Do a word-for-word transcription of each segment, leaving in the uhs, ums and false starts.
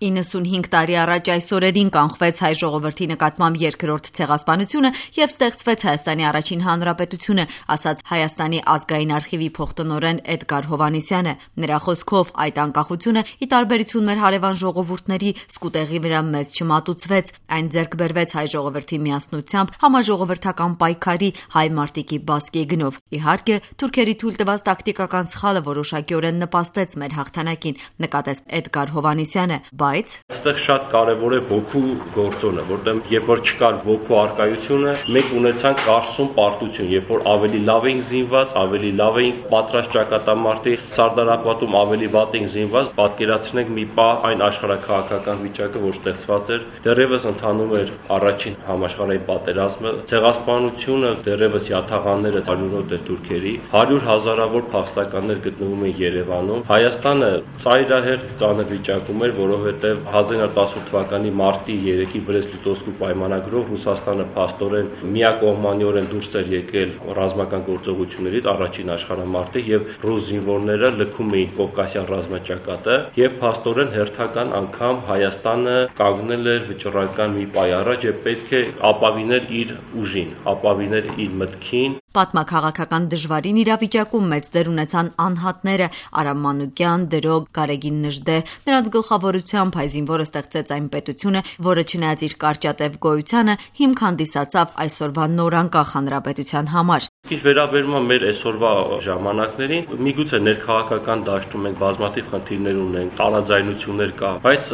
իննսունհինգ տարի առաջ այս օրերին կանխվեց հայ ժողովրդի նկատմամբ երկրորդ ցեղասպանությունը եւ ստեղծվեց Հայաստանի առաջին հանրապետությունը, ասաց Հայաստանի ազգային արխիվի փոխտնօրեն Էդգար Հովհաննիսյանը։ Նրա խոսքով այդ անկախությունը, ի տարբերություն մեր հարևան ժողովուրդների, սկուտեղի վրա մեծ չմատուցվեց, այն ձեռք բերվեց հայ ժողովրդի միասնությամբ, համաժողովրդական պայքարի, հայ մարտիկի բասկի գնով։ Իհարկե, թուրքերի թույլ տված տակտիկական սխալը որոշակիորեն նպաստեց մեր հաղթանակին, նկատեց Էդգար Հովհաննիսյանը, բայց այստեղ շատ կարևոր է ոգու գործոնը, որտեղ երբ որ չկար ոգու արկայությունը, մենք ունեցանք կարսում պարտություն, երբ որ ավելի լավ էինք զինված, ավելի լավ էինք պատրաստ ճակատամարտի, Սարդարապատում ավելի վատ էինք զինված, պատկերացնենք մի պահ այն աշխարհաքաղաքական վիճակը, որ ստեղծված էր, դեռևս ընթանում էր առաջին համաշխարհային պատերազմը, ցեղասպանությունը դեռևս յաթաղանները հարյուրոտ էր թուրքերի, հարյուր հազարավոր փախստականներ գտնվում են Երևանում։ Հայաստանը ծայրահեղ ծանր վիճակում էր, որովհետև հազար իննսուն տասնութ թվականի մարտի երեքի Բրեստ-Լիտովսկու պայմանագրով Ռուսաստանը փաստորեն միակողմանիորեն դուրս էր եկել ռազմական գործողություններից առաջին աշխարհամարտի եւ ռուս զինվորները լքում էին Կովկասյան ռազմաճակատը եւ փաստորեն հերթական անգամ Հայաստանը կանգնել էր վճռական մի պայ առաջ եւ պետք է ապավիներ իր ուժին, ապավիներ իր մտքին։ Պատմաքաղաքական դժվարին իրավիճակում մեծ դեր ունեցան անհատները՝ Արամ Մանուկյան, Դրոգ, Գարեգին Նժդե։ Նրանց գլխավորությամբ հայ զինվորը ստեղծեց այն պետությունը, որը չնայած իր կարճատև գոյությանը հիմք հանդիսացավ այսօրվա նորանկախ հանրապետության համար։ Ինչ վերաբերում է մեր այսօրվա ժամանակներին, միգուցե ներքաղաքական դաշտում մենք բազմաթիվ խնդիրներ ունենք, տարաձայնություններ կա, բայց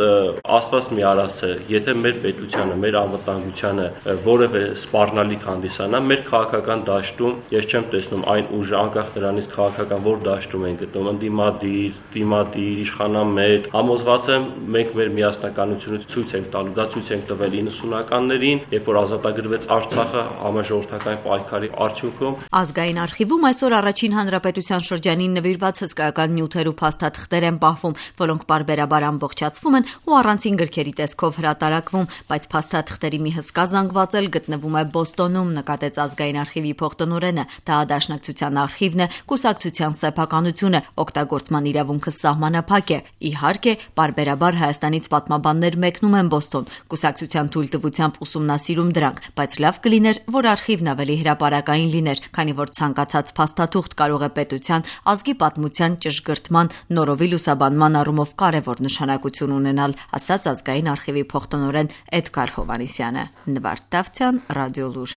Աստված մի արասը, եթե մեր պետությանը, մեր անվտանգությանը որևէ սպառնալիք հանդիսանա, մեր քաղաքական դաշտում ես չեմ տեսնում այն ուժը, անկախ նրանից քաղաքական որ դաշտում են գտնում, ընդդիմադիր, դիմադիր, իշխանամետ, համոզված եմ մենք մեր միասնականությունը ցույց ենք տալու, դա ցույց ենք տվել իննսունականներին, երբ որ ազատագրվեց Արցախը համաժողովրդական պայքարի արդյունքում։ Ազգային արխիվում այսօր առաջին հանրապետության շրջանին նվիրված հսկայական նյութեր ու փաստաթղթեր են պահվում, որոնք պարբերաբար ամբողջացվում են ու առանցին գրքերի տեսքով հրատարակվում, բայց փաստաթղթերի մի հսկա զանգված էլ գտնվում է Բոստոնում, նկատեց ազգային արխիվի փոխտնօրենը։ Դա Դաշնակցության արխիվն է, կուսակցության սեփականությունը, օգտագործման իրավունքը սահմանափակ է։ Իհարկե, պարբերաբար Հայաստանից պատմաբաններ մեկնում են Բոստոն, կուսակցության թույլտվությամբ ուսումնասիրում դրանք, բայց լավ կլիներ, որ արխիվն ավելի հրապարակային լիներ, քանի որ ցանկացած փաստաթուղթ կարող է պետության, ազգի պատմության ճշգրտման, նորովի լուսաբանման առումով կարևոր նշանակություն ունենալ, ասաց ազգային արխիվի փոխտնօրեն Էդգար Հովհաննիսյանը։ Նվարդ Դավթյան, Ռադիոլուր։